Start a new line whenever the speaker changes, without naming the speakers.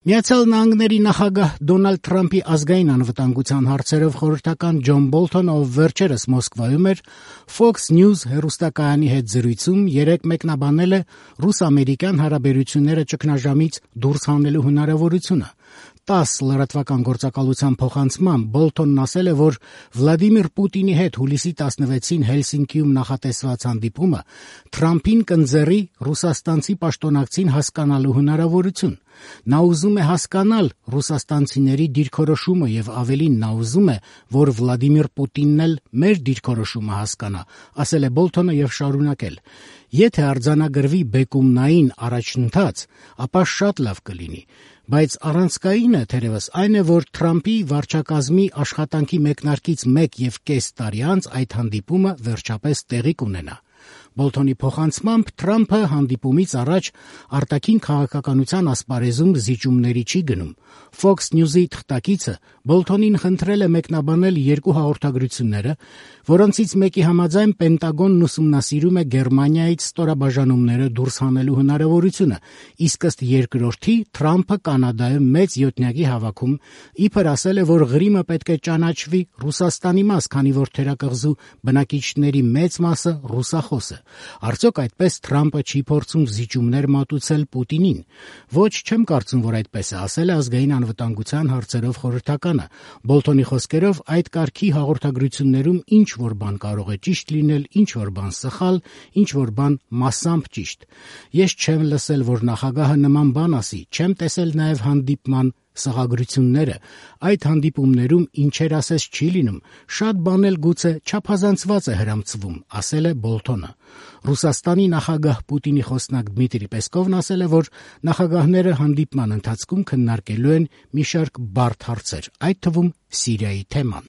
Միացյալ Նահանգների նախագահ Դոնալդ Թրամփի ազգային անվտանգության հարցերով խորհրդական Ջոն Բոլթոնը, ով վերջերս Մոսկվայում էր, Fox News հեռուստակայանի հետ զրույցում երեկ մեկնաբանել է ռուս-ամերիկյան հարաբերությունները ճգնաժամից դուրս հանելու հնարավորությունը։ 10 լրատվական գործակալության փոխանցմամբ Բոլթոնն ասել է, որ Վլադիմիր Պուտինի հետ հուլիսի 16-ին Հելսինկիում նախատեսված հանդիպումը Թրամփին կընձեռի ռուսաստանցի պաշտոնակցին հասկանալու հնարավորություն։ Նա ուզում է հասկանալ ռուսաստանցիների դիրքորոշումը եւ ավելին նա ուզում է, որ Վլադիմիր Պուտինն էլ մեր դիրքորոշումը հասկանա, ասել է Բոլթոնը եւ շարունակել. Եթե արձանագրվի բեկումնային առաջընթաց, ապա շատ լավ կլինի, բայց առանցքայինը թերևս այն է, որ Թրամփի վարչակազմի աշխատանքի մեկնարկից 1.5 տարի անց այդ հանդիպումը վերջապես տեղի կունենա։ Բոլթոնի փոխանցմամբ Թրամփը հանդիպումից առաջ արտաքին քաղաքականության ասպարեզում զիջումների չի գնում։ Fox News-ի թղթակիցը Բոլթոնին խնդրել է մեկնաբանել երկու հաղորդագրությունները, որոնցից մեկի համաձայն Պենտագոնն ուսումնասիրում է Գերմանիայից ստորաբաժանումները դուրս հանելու հնարավորությունը, իսկ ըստ երկրորդի Թրամփը Կանադայում մեծ յոթնյակի հավաքում իբր ասել է, որ Ղրիմը պետք է ճանաչվի Ռուսաստանի մաս, քանի որ թերակղզու բնակիչների մեծ մասը ռուսախոս է։ Արդյոք այդպես Թրամփը չի փորձում զիջումներ մատուցել Պուտինին։ Ոչ, չեմ կարծում, որ այդպես է, ասել է ազգային անվտանգության հարցերով խորհրդականը։ Բոլթոնի խոսքերով այդ կարգի հաղորդագրություններում ինչ որ բան կարող է ճիշտ լինել, ինչ որ բան սխալ, ինչ որ բան մասամբ ճիշտ։ Ես չեմ լսել, որ նախագահը նման բան ասի, չեմ տեսել նաև հանդիպման սղագրությունները։ Այդ հանդիպումներում ինչեր ասես չի լինում, շատ բան էլ գուցե չափազանցված է հրամցվում, ասել է Բոլթոնը։ Ռուսաստանի նախագահ Պուտինի խոսնակ Դմիտրի Պեսկովն ասել է, որ նախագահները հանդիպման ընթացքում քննարկելու են մի շարք բարդ հարցեր, այդ թվում Սիրիայի թեման։